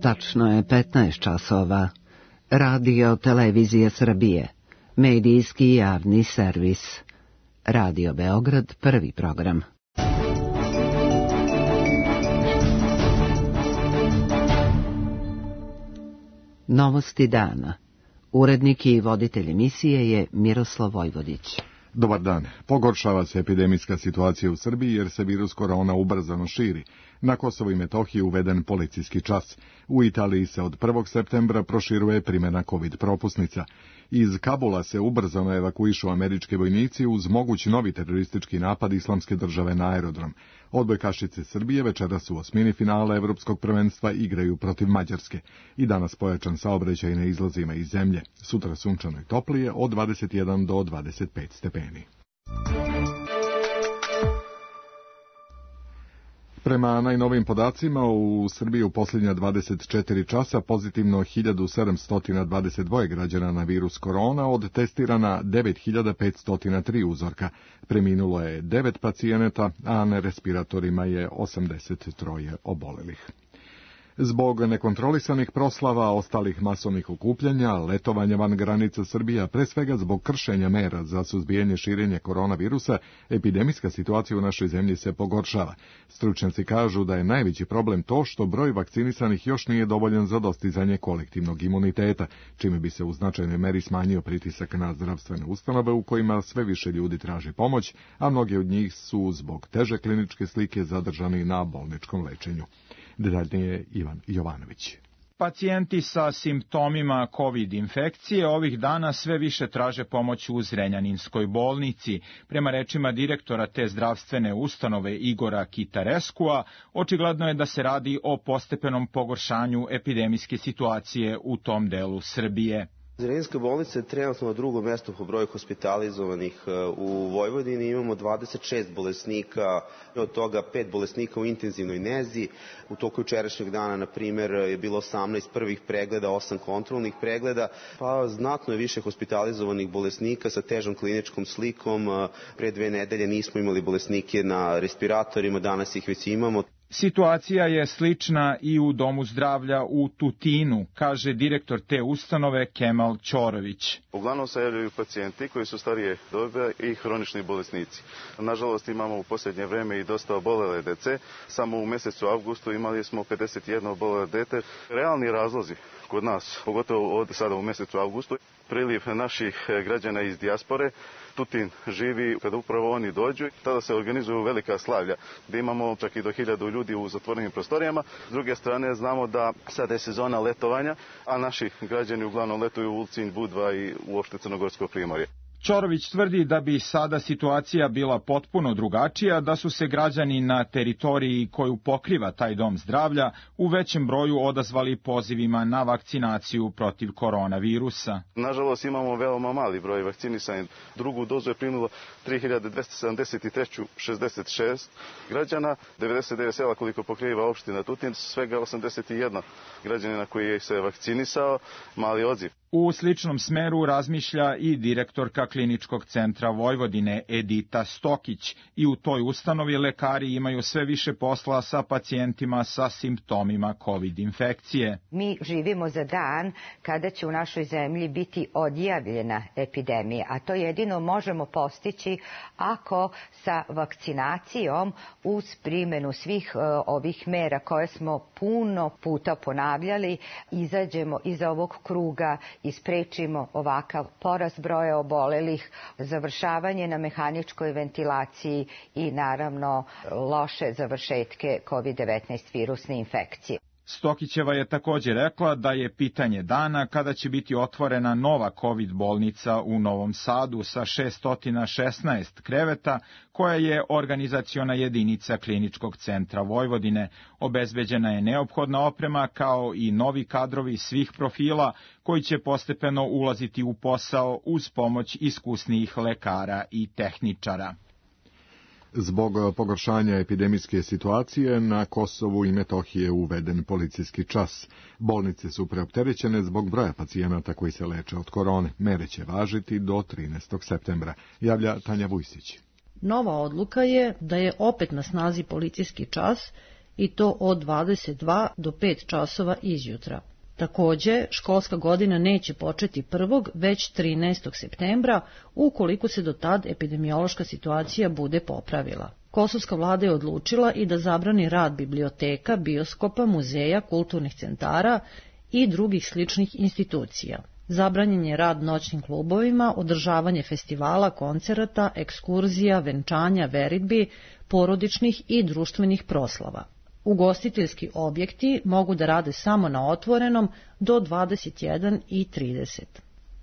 Tačno je 15 časova. Radio Televizija Srbije. Medijski javni servis. Radio Beograd, prvi program. Novosti dana. Urednik i voditelj emisije je Miroslav Vojvodić. Dobar dan. Pogoršava se epidemijska situacija u Srbiji jer se virus korona ubrzano širi. Na Kosovu i Metohiji uveden policijski čas. U Italiji se od 1. septembra proširuje primjena COVID propusnica. Iz Kabula se ubrzano evakuišu američki vojnici uz moguć novi teroristički napad Islamske države na aerodrom. Odbojkašice Srbije večeras u osmini finala Evropskog prvenstva igraju protiv Mađarske. I danas pojačan saobraćaj na izlazima iz zemlje. Sutra sunčano i toplije od 21 do 25 stepeni. Prema najnovim podacima, u Srbiji u posljednja 24 časa pozitivno 1722 građana na virus korona, od testirana 9503 uzorka. Preminulo je 9 pacijenata, a na respiratorima je 83 obolelih. Zbog nekontrolisanih proslava, ostalih masovnih okupljanja, letovanja van granica Srbije, pre svega zbog kršenja mera za suzbijanje širenja koronavirusa, epidemijska situacija u našoj zemlji se pogoršava. Stručnjaci kažu da je najveći problem to što broj vakcinisanih još nije dovoljan za dostizanje kolektivnog imuniteta, čime bi se u značajnoj meri smanjio pritisak na zdravstvene ustanove u kojima sve više ljudi traži pomoć, a mnogi od njih su zbog teže kliničke slike zadržani na bolničkom lečenju. Detaljnije Ivan Jovanović. Pacijenti sa simptomima COVID infekcije ovih dana sve više traže pomoć u Zrenjaninskoj bolnici. Prema rečima direktora te zdravstvene ustanove Igora Kitareskua, očigledno je da se radi o postepenom pogoršanju epidemijske situacije u tom delu Srbije. Zrenjaninska bolnica je trenutno na drugom mjestu po broju hospitalizovanih u Vojvodini. Imamo 26 bolesnika, od toga 5 bolesnika u intenzivnoj nezi. U toku jučerašnjeg dana, na primjer, je bilo 18 prvih pregleda, 8 kontrolnih pregleda, pa znatno je više hospitalizovanih bolesnika sa težom kliničkom slikom. Pre 2 nedelje nismo imali bolesnike na respiratorima, danas ih već imamo. Situacija je slična i u Domu zdravlja u Tutinu, kaže direktor te ustanove Kemal Ćorović. Uglavnom se javljaju pacijenti koji su starije dobe i hronični bolesnici. Nažalost imamo u posljednje vreme i dosta obolele dece. Samo u mjesecu avgustu imali smo 51 obolele dete. Realni razlozi kod nas, pogotovo od sada u mjesecu avgustu, priliv naših građana iz dijaspore. Tutin živi kada upravo oni dođu, tada se organizuju velika slavlja, gdje imamo čak i do 1000 ljudi u zatvorenim prostorijama. S druge strane znamo da sada je sezona letovanja, a naši građani uglavnom letuju u Ulcinj, Budva i uopšte Crnogorsko primorje. Ćorović tvrdi da bi sada situacija bila potpuno drugačija, da su se građani na teritoriji koju pokriva taj dom zdravlja u većem broju odazvali pozivima na vakcinaciju protiv koronavirusa. Nažalost imamo veoma mali broj vakcinisanih. Drugu dozu je primilo 3273, 66 građana, 99 sela koliko pokriva opština Tutin, svega 81 građanina koji je se vakcinisao, mali odziv. U sličnom smeru razmišlja i direktorka Kliničkog centra Vojvodine Edita Stokić i u toj ustanovi lekari imaju sve više posla sa pacijentima sa simptomima COVID infekcije. Mi živimo za dan kada će u našoj zemlji biti odjavljena epidemija, a to jedino možemo postići ako sa vakcinacijom uz primjenu svih ovih mera koje smo puno puta ponavljali izađemo iz ovog kruga i sprečimo ovakav porast broja obolelih, završavanje na mehaničkoj ventilaciji i naravno loše završetke COVID-19 virusne infekcije. Stokićeva je također rekla da je pitanje dana kada će biti otvorena nova COVID bolnica u Novom Sadu sa 616 kreveta, koja je organizaciona jedinica Kliničkog centra Vojvodine. Obezbeđena je neophodna oprema kao i novi kadrovi svih profila koji će postepeno ulaziti u posao uz pomoć iskusnijih lekara i tehničara. Zbog pogoršanja epidemijske situacije na Kosovu i Metohiji je uveden policijski čas. Bolnice su preopterećene zbog broja pacijenata koji se leče od korone. Mere će važiti do 13. septembra, javlja Tanja Vujsić. Nova odluka je da je opet na snazi policijski čas i to od 22 do 5 časova izjutra. Takođe, školska godina neće početi 1. već 13. septembra, ukoliko se do tad epidemiološka situacija bude popravila. Kosovska vlada je odlučila i da zabrani rad biblioteka, bioskopa, muzeja, kulturnih centara i drugih sličnih institucija. Zabranjen je rad noćnim klubovima, održavanje festivala, koncerata, ekskurzija, venčanja, veridbi, porodičnih i društvenih proslava. Ugostiteljski objekti mogu da rade samo na otvorenom do 21:30.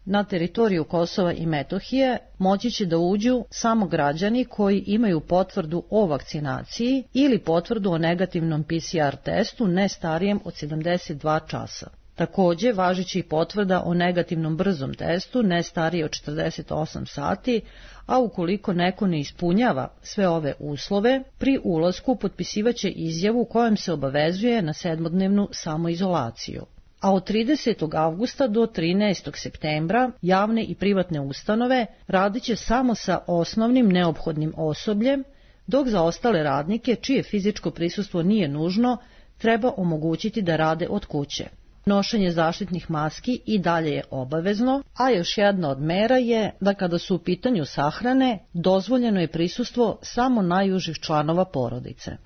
Na teritoriju Kosova i Metohije moći će da uđu samo građani koji imaju potvrdu o vakcinaciji ili potvrdu o negativnom PCR testu ne starijem od 72 časa. Takođe, važići potvrda o negativnom brzom testu ne starije od 48 sati, a ukoliko neko ne ispunjava sve ove uslove, pri ulasku potpisivaće izjavu kojom se obavezuje na 7-dnevnu samoizolaciju. A od 30. avgusta do 13. septembra javne i privatne ustanove radiće samo sa osnovnim neophodnim osobljem, dok za ostale radnike, čije fizičko prisustvo nije nužno, treba omogućiti da rade od kuće. Nošenje zaštitnih maski i dalje je obavezno, a još jedna od mera je da kada su u pitanju sahrane, dozvoljeno je prisustvo samo najužih članova porodice.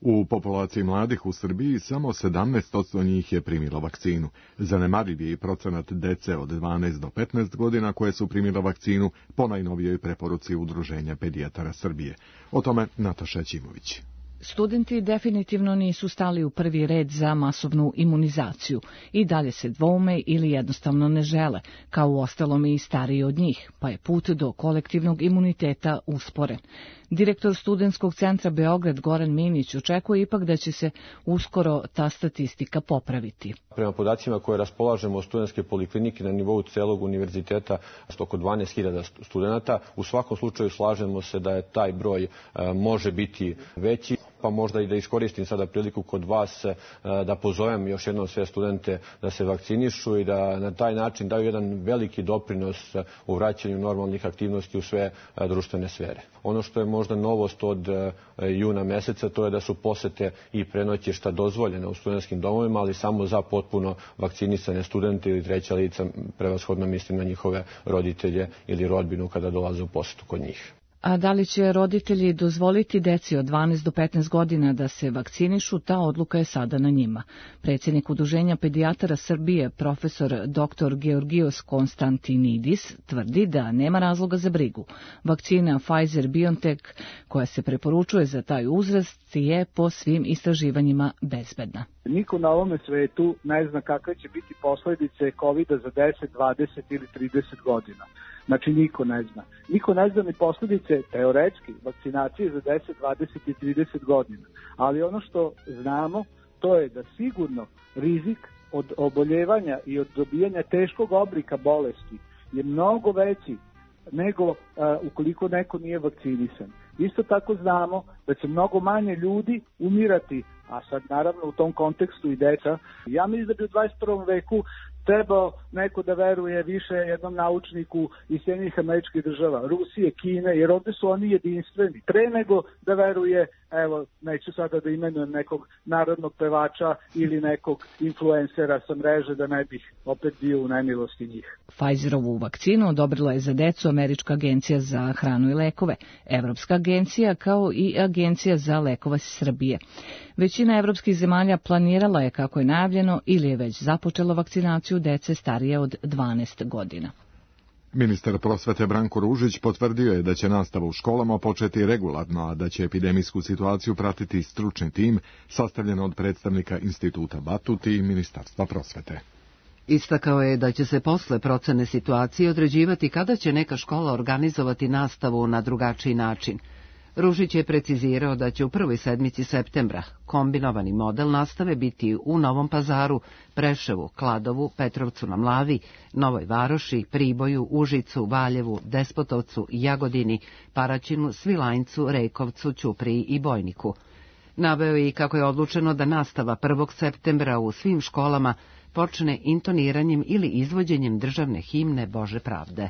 U populaciji mladih u Srbiji samo 17% njih je primilo vakcinu. Zanemariv je i procenat dece od 12 do 15 godina koje su primile vakcinu po najnovijoj preporuci Udruženja pedijatara Srbije. O tome Nataša Ćimović. Studenti definitivno nisu stali u prvi red za masovnu imunizaciju i dalje se dvoume ili jednostavno ne žele, kao uostalom i stariji od njih, pa je put do kolektivnog imuniteta usporen. Direktor Studentskog centra Beograd Goran Minić očekuje ipak da će se uskoro ta statistika popraviti. Prema podacima koje raspolažemo od studentske poliklinike na nivou celog univerziteta, oko 12.000 studenta, u svakom slučaju slažemo se da je taj broj može biti veći, pa možda i da iskoristim sada priliku kod vas da pozovem još jednom sve studente da se vakcinišu i da na taj način daju jedan veliki doprinos u vraćanju normalnih aktivnosti u sve društvene sfere. Ono što je možda novost od juna meseca, to je da su posete i prenoćišta dozvoljene u studentskim domovima, ali samo za potpuno vakcinisane studente ili treća lica, prevashodno mislim na njihove roditelje ili rodbinu kada dolaze u posetu kod njih. A da li će roditelji dozvoliti deci od 12 do 15 godina da se vakcinišu, ta odluka je sada na njima. Predsjednik Udruženja pedijatara Srbije, profesor dr. Georgios Konstantinidis, tvrdi da nema razloga za brigu. Vakcina Pfizer-BioNTech, koja se preporučuje za taj uzrast, je po svim istraživanjima bezbedna. Niko na ovome svetu ne zna kakve će biti posljedice COVID-a za 10, 20 ili 30 godina. Znači niko ne zna. Niko ne zna ni posljedice teoretski vakcinacije za 10, 20 i 30 godina. Ali ono što znamo, to je da sigurno rizik od oboljevanja i od dobijanja teškog oblika bolesti je mnogo veći nego ukoliko neko nije vakcinisan. Isto tako znamo da će mnogo manje ljudi umirati, a sad naravno u tom kontekstu i deca. Ja mislim da bi u 21. veku trebao neko da veruje više jednom naučniku iz Sjedinjenih Američkih Država, Rusije, Kine, jer ovde su oni jedinstveni. Pre nego da veruje, evo, neću sada da imenujem nekog narodnog pevača ili nekog influencera sa mreže, da ne bih opet bio u nemilosti njih. Pfizerovu vakcinu odobrila je za decu Američka agencija za hranu i lekove, Evropska agencija kao i Agencija za lekova Srbije. Većina evropskih zemalja planirala je, kako je najavljeno, ili je već započela vakcinaciju dece starije od 12 godina. Ministar prosvete Branko Ružić potvrdio je da će nastava u školama početi regularno, a da će epidemijsku situaciju pratiti stručni tim sastavljen od predstavnika Instituta Batut i Ministarstva prosvete. Istakao je da će se posle procene situacije određivati kada će neka škola organizovati nastavu na drugačiji način. Ružić je precizirao da će u prvoj sedmici septembra kombinovani model nastave biti u Novom Pazaru, Preševu, Kladovu, Petrovcu na Mlavi, Novoj Varoši, Priboju, Užicu, Valjevu, Despotovcu, Jagodini, Paraćinu, Svilajncu, Rekovcu, Ćupriji i Bojniku. Naveo je i kako je odlučeno da nastava 1. septembra u svim školama počne intoniranjem ili izvođenjem državne himne Bože pravde.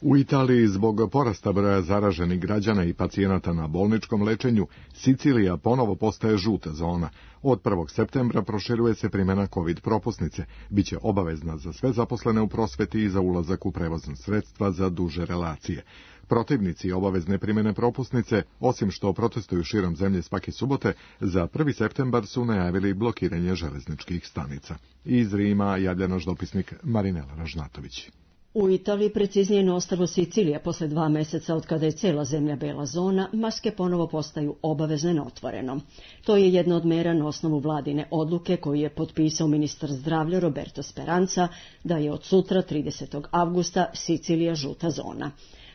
U Italiji zbog porasta broja zaraženih građana i pacijenata na bolničkom lečenju, Sicilija ponovo postaje žuta zona. Od 1. septembra proširuje se primjena COVID propusnice. Biće obavezna za sve zaposlene u prosveti i za ulazak u prevozna sredstva za duže relacije. Protivnici obavezne primjene propusnice, osim što protestuju širom zemlje svake subote, za 1. septembar su najavili blokiranje železničkih stanica. Iz Rima javlja naš dopisnik Marinela Ražnatović. U Italiji, preciznije na ostrvu Sicilija, posle 2 meseca od kada je cijela zemlja bela zona, maske ponovo postaju obavezne na otvorenom. To je jedna od mera na osnovu vladine odluke koju je potpisao ministar zdravlja Roberto Speranza da je od sutra 30. avgusta Sicilija žuta zona.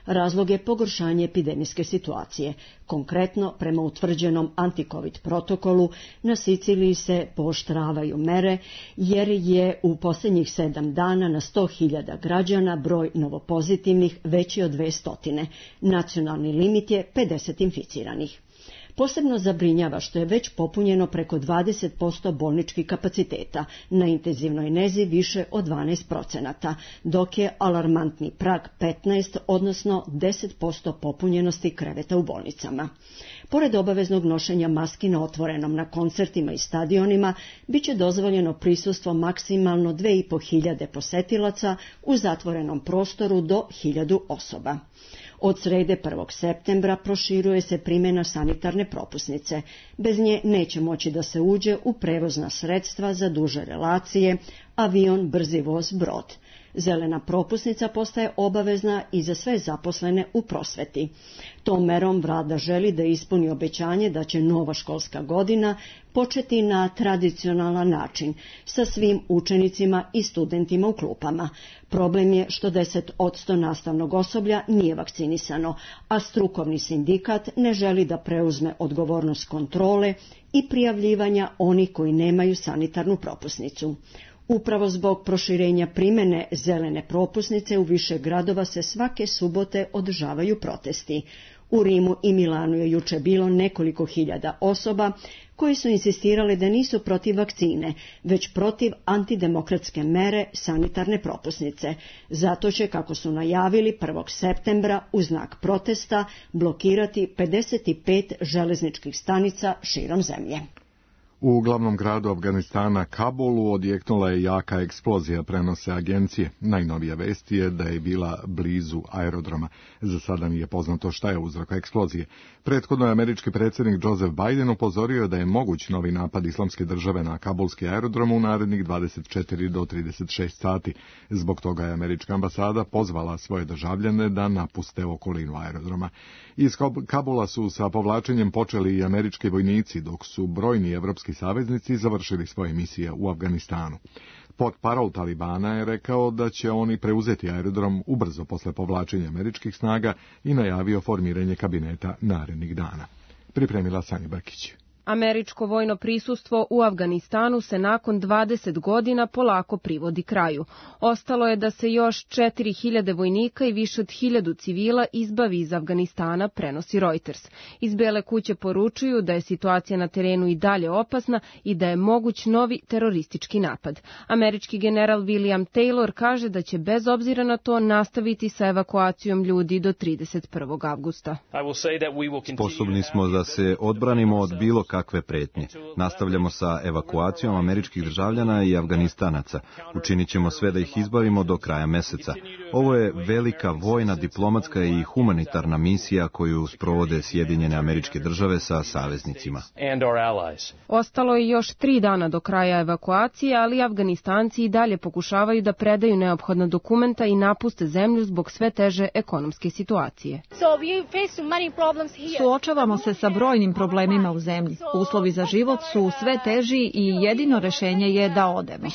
Razlog je pogoršanje epidemijske situacije. Konkretno, prema utvrđenom anti-covid protokolu, na Siciliji se pooštravaju mere jer je u posljednjih 7 dana na 100.000 građana broj novopozitivnih veći od 200. Nacionalni limit je 50 inficiranih. Posebno zabrinjava što je već popunjeno preko 20% bolničkih kapaciteta, na intenzivnoj nezi više od 12%, dok je alarmantni prag 15, odnosno 10% popunjenosti kreveta u bolnicama. Pored obaveznog nošenja maski na otvorenom na koncertima i stadionima, bit će dozvoljeno prisustvo maksimalno 2.500 posetilaca u zatvorenom prostoru do 1.000 osoba. Od srede 1. septembra proširuje se primjena sanitarne propusnice. Bez nje neće moći da se uđe u prevozna sredstva za duže relacije, avion, brzi voz, brod. Zelena propusnica postaje obavezna i za sve zaposlene u prosveti. Tom merom vlada želi da ispuni obećanje da će nova školska godina početi na tradicionalan način, sa svim učenicima i studentima u klupama. Problem je što 10% nastavnog osoblja nije vakcinisano, a strukovni sindikat ne želi da preuzme odgovornost kontrole i prijavljivanja onih koji nemaju sanitarnu propusnicu. Upravo zbog proširenja primjene zelene propusnice u više gradova se svake subote održavaju protesti. U Rimu i Milanu je juče bilo nekoliko hiljada osoba koji su insistirali da nisu protiv vakcine, već protiv antidemokratske mere sanitarne propusnice. Zato će, kako su najavili, 1. septembra u znak protesta blokirati 55 železničkih stanica širom zemlje. U glavnom gradu Afganistana, Kabulu, odjeknula je jaka eksplozija, prenose agencije. Najnovija vest je da je bila blizu aerodroma. Za sada nije poznato šta je uzrok eksplozije. Prethodno je američki predsjednik Joseph Biden upozorio da je moguć novi napad Islamske države na kabulski aerodrom u narednih 24 do 36 sati. Zbog toga je američka ambasada pozvala svoje državljane da napuste okolinu aerodroma. Iz Kabula su sa povlačenjem počeli i američki vojnici, dok su brojni evropski saveznici završili svoje misije u Afganistanu. Portparol Talibana je rekao da će oni preuzeti aerodrom ubrzo posle povlačenja američkih snaga i najavio formiranje kabineta narednih dana. Pripremila Sanja Brkić. Američko vojno prisustvo u Afganistanu se nakon 20 godina polako privodi kraju. Ostalo je da se još 4.000 vojnika i više od 1.000 civila izbavi iz Afganistana, prenosi Reuters. Iz Bele kuće poručuju da je situacija na terenu i dalje opasna i da je moguć novi teroristički napad. Američki general William Taylor kaže da će bez obzira na to nastaviti sa evakuacijom ljudi do 31. avgusta. Sposobni smo da se odbranimo od bilo kakve pretnje. Nastavljamo sa evakuacijom američkih državljana i Afganistanaca. Učinit ćemo sve da ih izbavimo do kraja meseca. Ovo je velika vojna, diplomatska i humanitarna misija koju sprovode Sjedinjene Američke Države sa saveznicima. Ostalo je još 3 dana do kraja evakuacije, ali Afganistanci i dalje pokušavaju da predaju neophodna dokumenta i napuste zemlju zbog sve teže ekonomske situacije. Suočavamo se sa brojnim problemima u zemlji. Uslovi za život su sve teži i jedino rešenje je da odemo.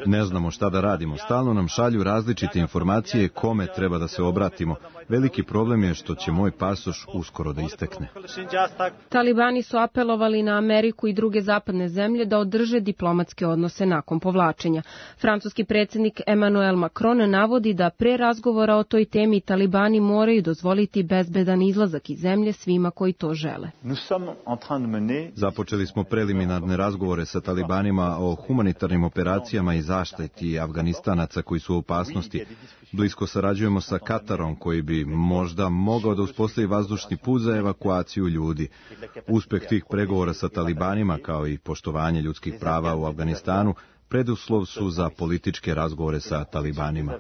Ne znamo šta da radimo. Stalno nam šalju različite informacije kome treba da se obratimo. Veliki problem je što će moj pasoš uskoro da istekne. Talibani su apelovali na Ameriku i druge zapadne zemlje da održe diplomatske odnose nakon povlačenja. Francuski predsjednik Emmanuel Macron navodi da pre razgovora o toj temi Talibani moraju dozvoliti bezbedan izlazak iz zemlje svima koji to žele. Započeli smo preliminarne razgovore sa Talibanima o humanitarnim operacijama i zaštiti Afganistanaca koji su u opasnosti. Blisko sarađujemo sa Katarom koji bi možda mogao da uspostavi vazdušni put za evakuaciju ljudi. Uspeh tih pregovora sa Talibanima kao i poštovanje ljudskih prava u Afganistanu preduslov su za političke razgovore sa Talibanima.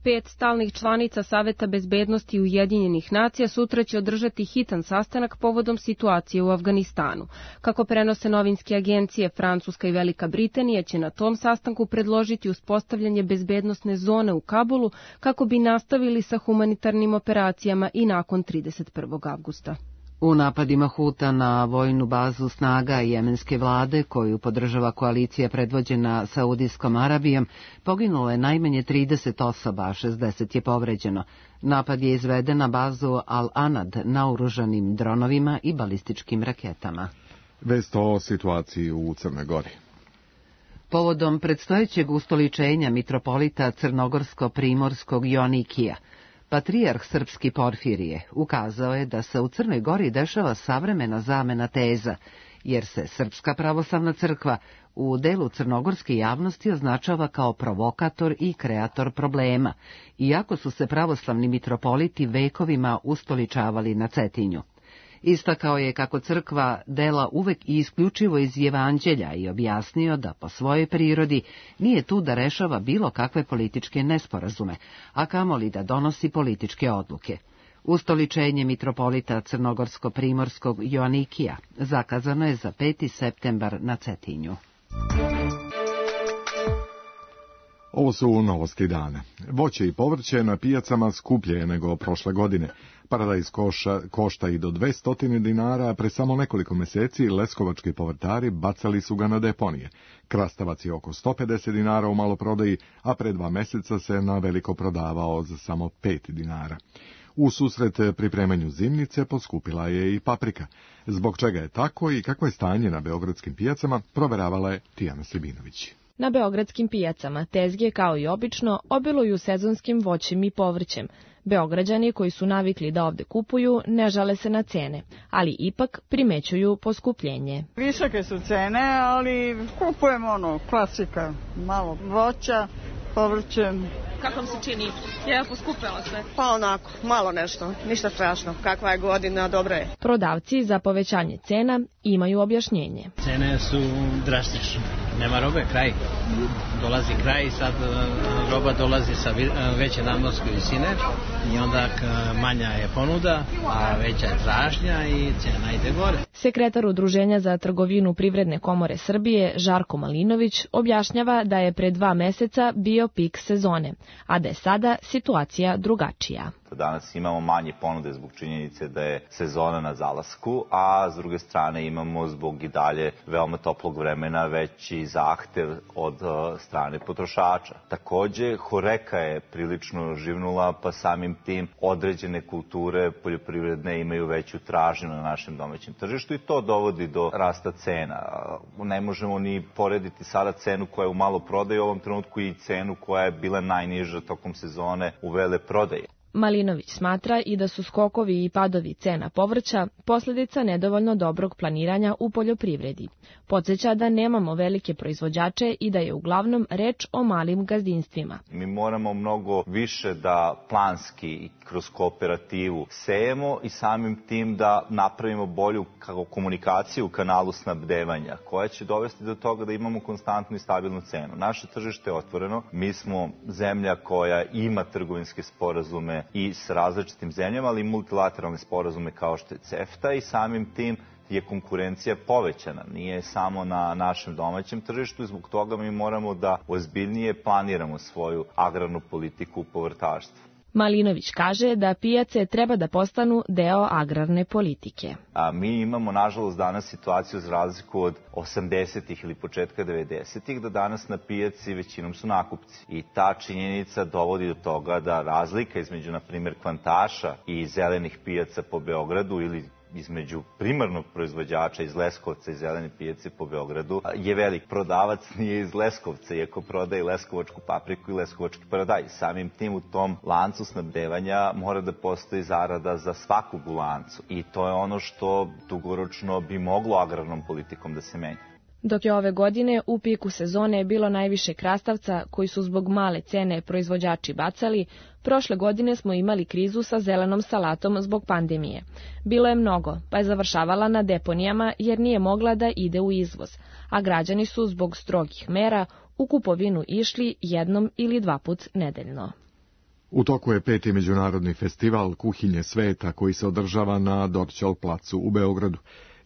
5 stalnih članica Saveta bezbednosti Ujedinjenih nacija sutra će održati hitan sastanak povodom situacije u Afganistanu. Kako prenose novinske agencije, Francuska i Velika Britanija će na tom sastanku predložiti uspostavljanje bezbednosne zone u Kabulu kako bi nastavili sa humanitarnim operacijama i nakon 31. avgusta. U napadima Huta na vojnu bazu snaga jemenske vlade, koju podržava koalicija predvođena Saudijskom Arabijom, poginulo je najmanje 30 osoba, a 60 je povređeno. Napad je izveden na bazu Al-Anad naoružanim dronovima i balističkim raketama. Vest o situaciji u Crnoj Gori. Povodom predstojećeg ustoličenja mitropolita crnogorsko-primorskog Joanikija, patrijarh srpski Porfirije ukazao je da se u Crnoj Gori dešava savremena zamena teza, jer se Srpska pravoslavna crkva u delu crnogorske javnosti označava kao provokator i kreator problema, iako su se pravoslavni mitropoliti vekovima ustoličavali na Cetinju. Istakao je kako crkva dela uvek i isključivo iz Evanđelja i objasnio da po svojoj prirodi nije tu da rešava bilo kakve političke nesporazume, a kamoli da donosi političke odluke. Ustoličenje mitropolita crnogorsko-primorskog Joanikija zakazano je za 5. septembar na Cetinju. Ovo su novosti dana. Voće i povrće na pijacama skuplje je nego prošle godine. Paradajz košta i do 200 dinara, a pre samo nekoliko meseci leskovački povrtari bacali su ga na deponije. Krastavac je oko 150 dinara u maloprodaji, a pre 2 meseca se na veliko prodavao za samo 5 dinara. U susret pripremanju zimnice poskupila je i paprika. Zbog čega je tako i kakvo je stanje na beogradskim pijacama, proveravala je Tijana Sebinović. Na beogradskim pijacama tezge, kao i obično, obiluju sezonskim voćem i povrćem. Beograđani koji su navikli da ovde kupuju ne žale se na cene, ali ipak primećuju poskupljenje. Visoke su cene, ali kupujemo klasika, malo voća, povrćem. Kako vam se čini? Je poskupelo sve? Pa onako, malo nešto, ništa strašno. Kakva je godina, dobro je. Prodavci za povećanje cena imaju objašnjenje. Cene su drastične. Nema robe, kraj. Dolazi kraj i sad roba dolazi sa veće nadmorske visine i onda manja je ponuda, a veća je tražnja i cena ide gore. Sekretar Udruženja za trgovinu Privredne komore Srbije, Žarko Malinović, objašnjava da je pre 2 meseca bio pik sezone, a da je sada situacija drugačija. Danas imamo manje ponude zbog činjenice da je sezona na zalasku, a s druge strane imamo zbog i dalje veoma toplog vremena veći zahtev od strane potrošača. Takođe, horeka je prilično živnula, pa samim tim određene kulture poljoprivredne imaju veću tražnju na našem domaćem tržištu i to dovodi do rasta cena. Ne možemo ni porediti sada cenu koja je u maloprodaji u ovom trenutku i cenu koja je bila najniža tokom sezone u veleprodaji. Malinović smatra i da su skokovi i padovi cena povrća posljedica nedovoljno dobrog planiranja u poljoprivredi. Podsjeća da nemamo velike proizvođače i da je uglavnom reč o malim gazdinstvima. Mi moramo mnogo više da planski kroz kooperativu sejemo i samim tim da napravimo bolju komunikaciju u kanalu snabdevanja, koja će dovesti do toga da imamo konstantnu i stabilnu cenu. Naše tržište je otvoreno, mi smo zemlja koja ima trgovinske sporazume i s različitim zemljama, ali i multilateralne sporazume kao što je CEFTA i samim tim je konkurencija povećana. Nije samo na našem domaćem tržištu i zbog toga mi moramo da ozbiljnije planiramo svoju agrarnu politiku u povrtarstvu. Malinović kaže da pijace treba da postanu deo agrarne politike. Mi imamo, nažalost, danas situaciju za razliku od 80-ih ili početka 90-ih, da danas na pijaci većinom su nakupci. I ta činjenica dovodi do toga da razlika između, na primjer, kvantaša i zelenih pijaca po Beogradu ili između primarnog proizvođača iz Leskovca i zelene pijace po Beogradu je velik. Prodavac nije iz Leskovca, iako prodaje leskovačku papriku i leskovački paradajz. Samim tim u tom lancu snabdevanja mora da postoji zarada za svakog u lancu. I to je ono što dugoročno bi moglo agrarnom politikom da se menja. Dok je ove godine u piku sezone bilo najviše krastavca koji su zbog male cene proizvođači bacali, prošle godine smo imali krizu sa zelenom salatom zbog pandemije. Bilo je mnogo, pa je završavala na deponijama jer nije mogla da ide u izvoz, a građani su zbog strogih mera u kupovinu išli jednom ili 2 put nedeljno. U toku je 5. međunarodni festival Kuhinje sveta koji se održava na Dorćol placu u Beogradu.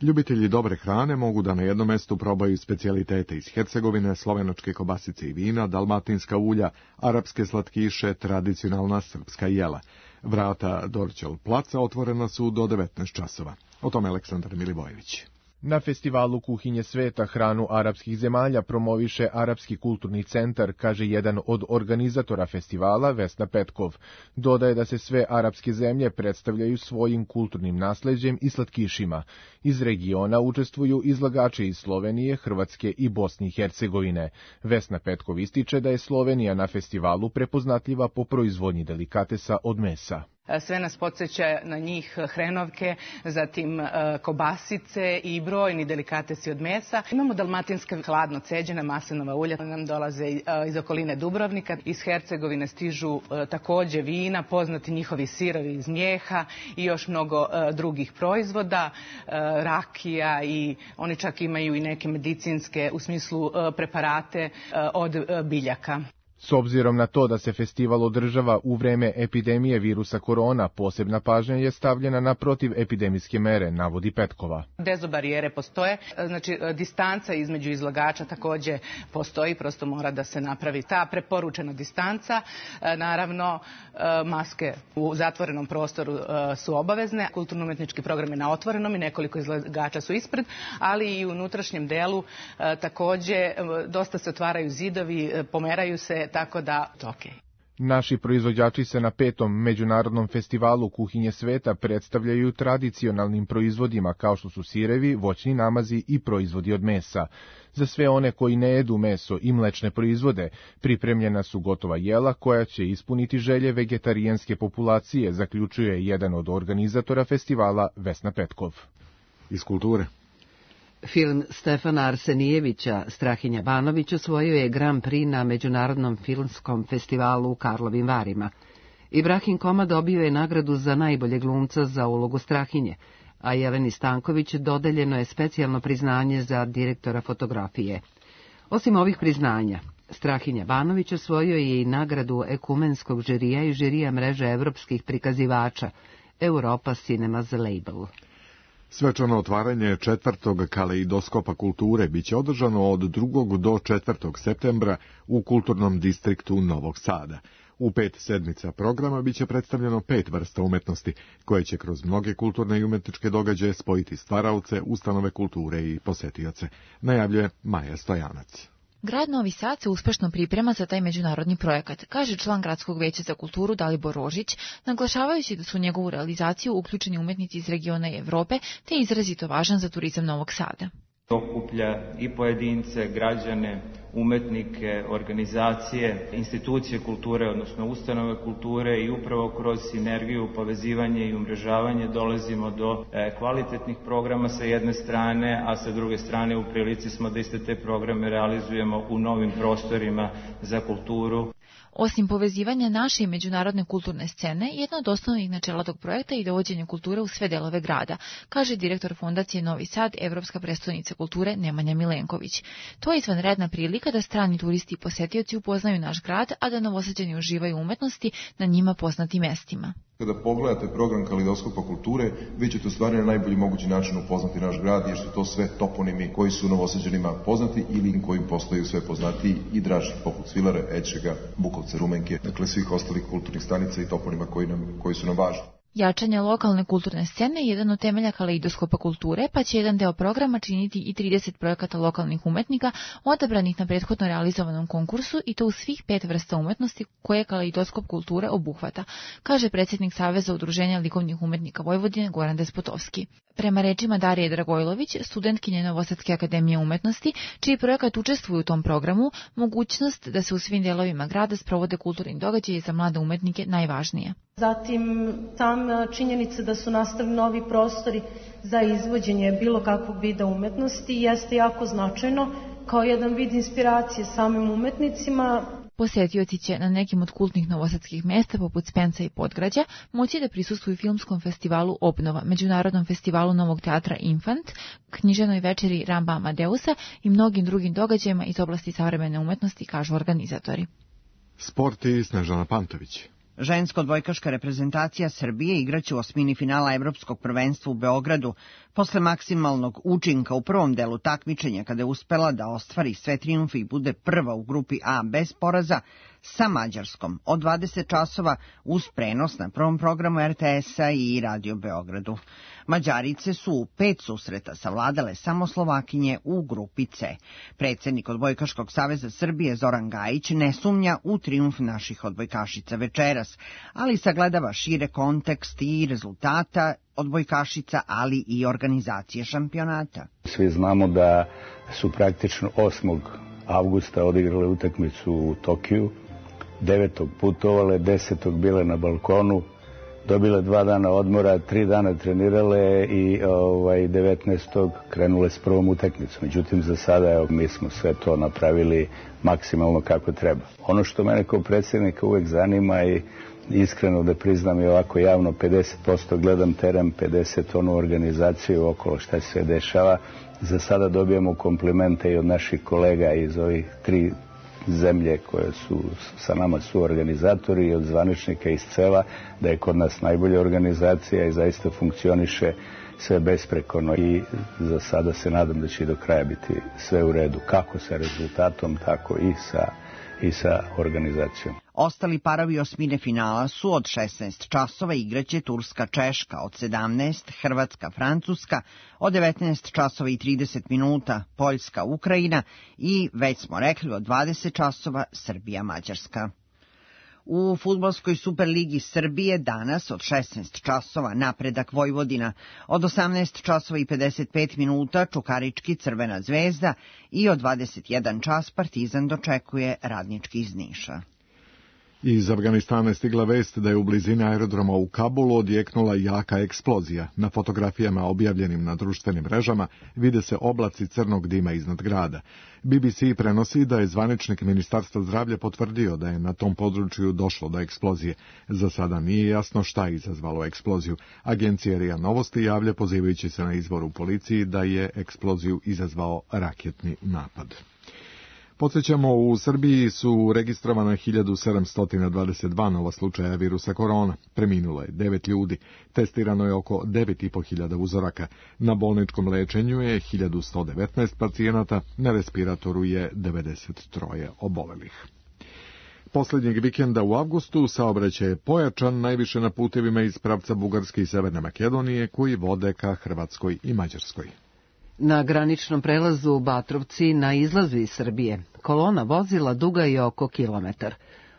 Ljubitelji dobre hrane mogu da na jednom mestu probaju specijalitete iz Hercegovine, slovenačke kobasice i vina, dalmatinska ulja, arapske slatkiše, tradicionalna srpska jela. Vrata Dorćol placa otvorena su do 19 časova. O tome Aleksandar Milivojević. Na festivalu Kuhinje sveta hranu arapskih zemalja promoviše Arapski kulturni centar, kaže jedan od organizatora festivala, Vesna Petkov. Dodaje da se sve arapske zemlje predstavljaju svojim kulturnim nasleđem i slatkišima. Iz regiona učestvuju izlagači iz Slovenije, Hrvatske i Bosne i Hercegovine. Vesna Petkov ističe da je Slovenija na festivalu prepoznatljiva po proizvodnji delikatesa od mesa. Sve nas podsjeća na njih hrenovke, zatim kobasice i brojni delikatesi od mesa. Imamo dalmatinska hladno ceđena maslinova ulja, nam dolaze iz okoline Dubrovnika. Iz Hercegovine stižu takođe vina, poznati njihovi sirovi iz mlijeha i još mnogo drugih proizvoda, rakija i oni čak imaju i neke medicinske u smislu preparate od biljaka. S obzirom na to da se festival održava u vreme epidemije virusa korona, posebna pažnja je stavljena na protivepidemijske mere, navodi Petkova. Dezobarijere postoje, znači distanca između izlagača takođe postoji, prosto mora da se napravi ta preporučena distanca. Naravno, maske u zatvorenom prostoru su obavezne, kulturno-umetnički program je na otvorenom i nekoliko izlagača su ispred, ali i u unutrašnjem delu takođe dosta se otvaraju zidovi, pomeraju se, tako da to okej. Naši proizvođači se na 5. međunarodnom festivalu Kuhinje sveta predstavljaju tradicionalnim proizvodima kao što su sirevi, voćni namazi i proizvodi od mesa. Za sve one koji ne jedu meso i mlečne proizvode pripremljena su gotova jela koja će ispuniti želje vegetarijanske populacije, zaključuje jedan od organizatora festivala Vesna Petkov. Iz kulture. Film Stefana Arsenijevića Strahinja Banović osvojio je Grand Prix na Međunarodnom filmskom festivalu u Karlovim Varima. Ibrahim Koma dobio je nagradu za najbolje glumca za ulogu Strahinje, a Jeleni Stanković dodeljeno je specijalno priznanje za direktora fotografije. Osim ovih priznanja, Strahinja Banović osvojio je i nagradu ekumenskog žirija i žirija mreže evropskih prikazivača Europa Cinemas Label. Svečano otvaranje 4. kaleidoskopa kulture biće održano od 2. do 4. septembra u kulturnom distriktu Novog Sada. U 5 sedmica programa biće predstavljeno 5 vrsta umetnosti, koje će kroz mnoge kulturne i umetničke događaje spojiti stvaraoce, ustanove kulture i posetioce, najavljuje Maja Stojanac. Grad Novi Sad se uspešno priprema za taj međunarodni projekat, kaže član Gradskog veća za kulturu Dalibor Rožić, naglašavajući da su u njegovu realizaciju uključeni umetnici iz regiona i Evrope, te je izrazito važan za turizam Novog Sada. Okuplja i pojedince, građane, umetnike, organizacije, institucije kulture, odnosno ustanove kulture i upravo kroz sinergiju, povezivanje i umrežavanje dolazimo do kvalitetnih programa sa jedne strane, a sa druge strane u prilici smo da iste te programe realizujemo u novim prostorima za kulturu. Osim povezivanja naše i međunarodne kulturne scene, jedno od osnovnih načela tog projekta je dovođenje kulture u sve delove grada, kaže direktor Fondacije Novi Sad, Evropska prestonica kulture Nemanja Milenković. To je izvanredna prilika da strani turisti i posetioci upoznaju naš grad, a da Novosađani uživaju umetnosti na njima poznatim mestima. Kada pogledate program Kaleidoskopa kulture, vi ćete u stvari na najbolji mogući način upoznati naš grad, jer su to sve toponimi koji su Novosađanima poznati ili koji im postaju sve poznatiji i draži, poput Svilare, Ečega, Bukovca, Rumenke, dakle svih ostalih kulturnih stanica i toponima koji su nam važni. Jačanje lokalne kulturne scene je jedan od temelja Kaleidoskopa kulture, pa će jedan deo programa činiti i 30 projekata lokalnih umetnika odabranih na prethodno realizovanom konkursu i to u svih 5 vrsta umetnosti koje Kaleidoskop kulture obuhvata, kaže predsjednik Saveza udruženja likovnih umetnika Vojvodine Goran Despotovski. Prema rečima Darije Dragojlović, studentkinje Novosadske akademije umetnosti, čiji projekat učestvuje u tom programu, mogućnost da se u svim delovima grada sprovode kulturni događaji za mlade umetnike najvažnije. Zatim, sama činjenica da su nastali novi prostori za izvođenje bilo kakvog vida umetnosti jeste jako značajno kao jedan vid inspiracije samim umetnicima. Posetioci će na nekim od kultnih novosadskih mesta poput Spenca i Podgrađa moći da prisustvuju filmskom festivalu Obnova, Međunarodnom festivalu Novog teatra Infant, književnoj večeri Ramba Amadeusa i mnogim drugim događajima iz oblasti savremene umetnosti, kažu organizatori. Sport i Snežana Pantović. Ženska odbojkaška reprezentacija Srbije igraće u osmini finala Evropskog prvenstva u Beogradu posle maksimalnog učinka u prvom delu takmičenja kada je uspela da ostvari sve trijumfe i bude prva u grupi A bez poraza sa Mađarskom od 20 časova uz prenos na prvom programu RTS-a i Radio Beogradu. Mađarice su u 5 susreta savladale samo Slovakinje u grupi C. Predsjednik Odbojkaškog saveza Srbije Zoran Gajić ne sumnja u trijumf naših odbojkašica večeras, ali sagledava šire kontekst i rezultata odbojkašica, ali i organizacije šampionata. Svi znamo da su praktično 8. avgusta odigrale utakmicu u Tokiju, 9. putovale, 10. bile na balkonu, dobile 2 dana odmora, 3 dana trenirale i 19. krenule s prvom utakmicom. Međutim, za sada mi smo sve to napravili maksimalno kako treba. Ono što mene kao predsjednika uvek zanima i iskreno da priznam i ovako javno, 50% gledam teren, 50% onu organizaciju okolo šta se dešava. Za sada dobijamo komplimente i od naših kolega iz ovih 3 zemlje koje su sa nama su organizatori i od zvaničnika iz CELA, da je kod nas najbolja organizacija i zaista funkcioniše sve besprekorno i za sada se nadam da će do kraja biti sve u redu, kako sa rezultatom, tako i sa organizacijom. Ostali parovi osmine finala su od 16 časova igraće Turska-Češka, od 17 Hrvatska-Francuska, od 19 časova i 30 minuta Poljska-Ukrajina i, već smo rekli, od 20 časova Srbija-Mađarska. U fudbalskoj Superligi Srbije danas od 16 časova Napredak Vojvodina, od 18 časova i 55 minuta Čukarički Crvena zvezda i od 21 čas Partizan dočekuje Radnički iz Niša. Iz Afganistana je stigla vest da je u blizini aerodroma u Kabulu odjeknula jaka eksplozija. Na fotografijama objavljenim na društvenim mrežama vide se oblaci crnog dima iznad grada. BBC prenosi da je zvaničnik Ministarstva zdravlja potvrdio da je na tom području došlo do eksplozije. Za sada nije jasno šta je izazvalo eksploziju. Agencija RIA Novosti javlja, pozivajući se na izvor u policiji, da je eksploziju izazvao raketni napad. Podsjećamo, u Srbiji su registrovana 1722 nova slučaja virusa korona. Preminulo je 9 ljudi. Testirano je oko 9.500 uzoraka. Na bolničkom lečenju je 1119 pacijenata, na respiratoru je 93 obolelih. Posljednjeg vikenda u avgustu saobraćaj je pojačan najviše na putevima iz pravca Bugarske i Severne Makedonije koji vode ka Hrvatskoj i Mađarskoj. Na graničnom prelazu u Batrovci na izlazu iz Srbije kolona vozila duga je oko kilometar.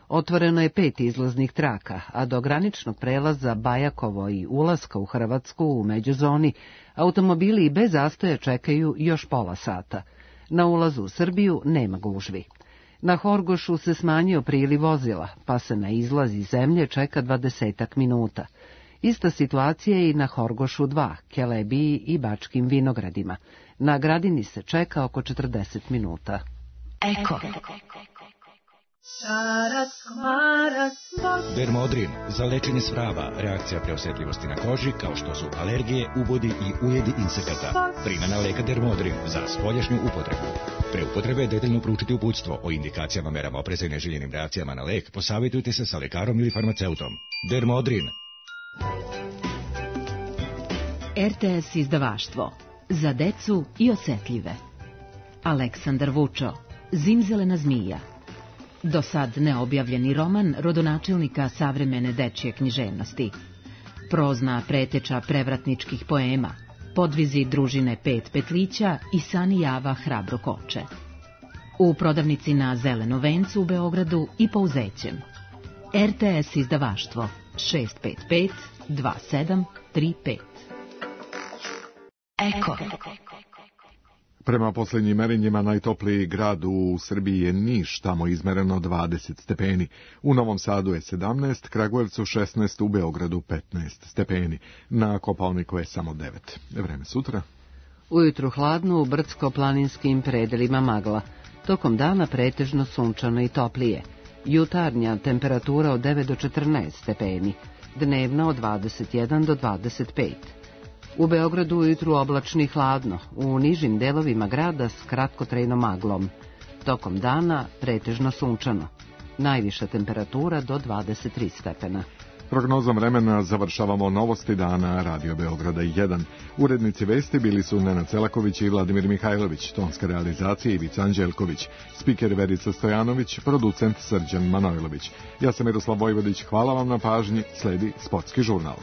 Otvoreno je 5 izlaznih traka, a do graničnog prelaza Bajakovo i ulaska u Hrvatsku u međuzoni automobili i bez zastoja čekaju još pola sata. Na ulazu u Srbiju nema gužvi. Na Horgošu se smanjio priliv vozila, pa se na izlaz iz zemlje čeka 20 minuta. Ista situacija je i na Horgošu 2, Kelebiji i Bačkim Vinogradima. Na Gradini se čeka oko 40 minuta. Eko. Dermodrin za lečenje svraba, reakcija preosetljivosti na koži kao što su alergije, ubodi i ujedi insekata. Primjena leka Dermodrin za spoljašnju upotrebu. Pre upotrebe detaljno proučiti uputstvo o indikacijama, merama opreza i neželjenim reakcijama na lek. Posavjetujte se sa lekarom ili farmaceutom. Dermodrin. RTS izdavaštvo. Za decu i osetljive. Aleksandar Vučo. Zimzelena zmija. Do sad neobjavljeni roman rodonačelnika savremene dečje književnosti. Prozna preteča prevratničkih poema. Podvizi družine Pet petlića i Sani Java hrabro koče. U prodavnici na Zelenom vencu u Beogradu i Pouzećem. RTS izdavaštvo 655 2735. Eko. Prema posljednjim merenjima najtopliji grad u Srbiji je Niš, tamo izmereno 20 stepeni. U Novom Sadu je 17, Kragujevcu 16, u Beogradu 15 stepeni. Na Kopaoniku je samo 9. Vreme sutra. Ujutru hladno, u brdsko-planinskim predelima magla. Tokom dana pretežno sunčano i toplije. Jutarnja temperatura od 9 do 14 stepeni. Dnevna od 21 do 25. U Beogradu ujutru oblačno i hladno, u nižim delovima grada s kratkotrajnom maglom. Tokom dana pretežno sunčano. Najviša temperatura do 23 stepena. Prognozom vremena završavamo novosti dana Radio Beograda 1. Urednici vesti bili su Nenad Celaković i Vladimir Mihajlović, tonska realizacija Ivica Anđelković, spiker Verica Stojanović, producent Srđan Manojlović. Ja sam Miroslav Vojvodić, hvala vam na pažnji, sledi Sportski žurnal.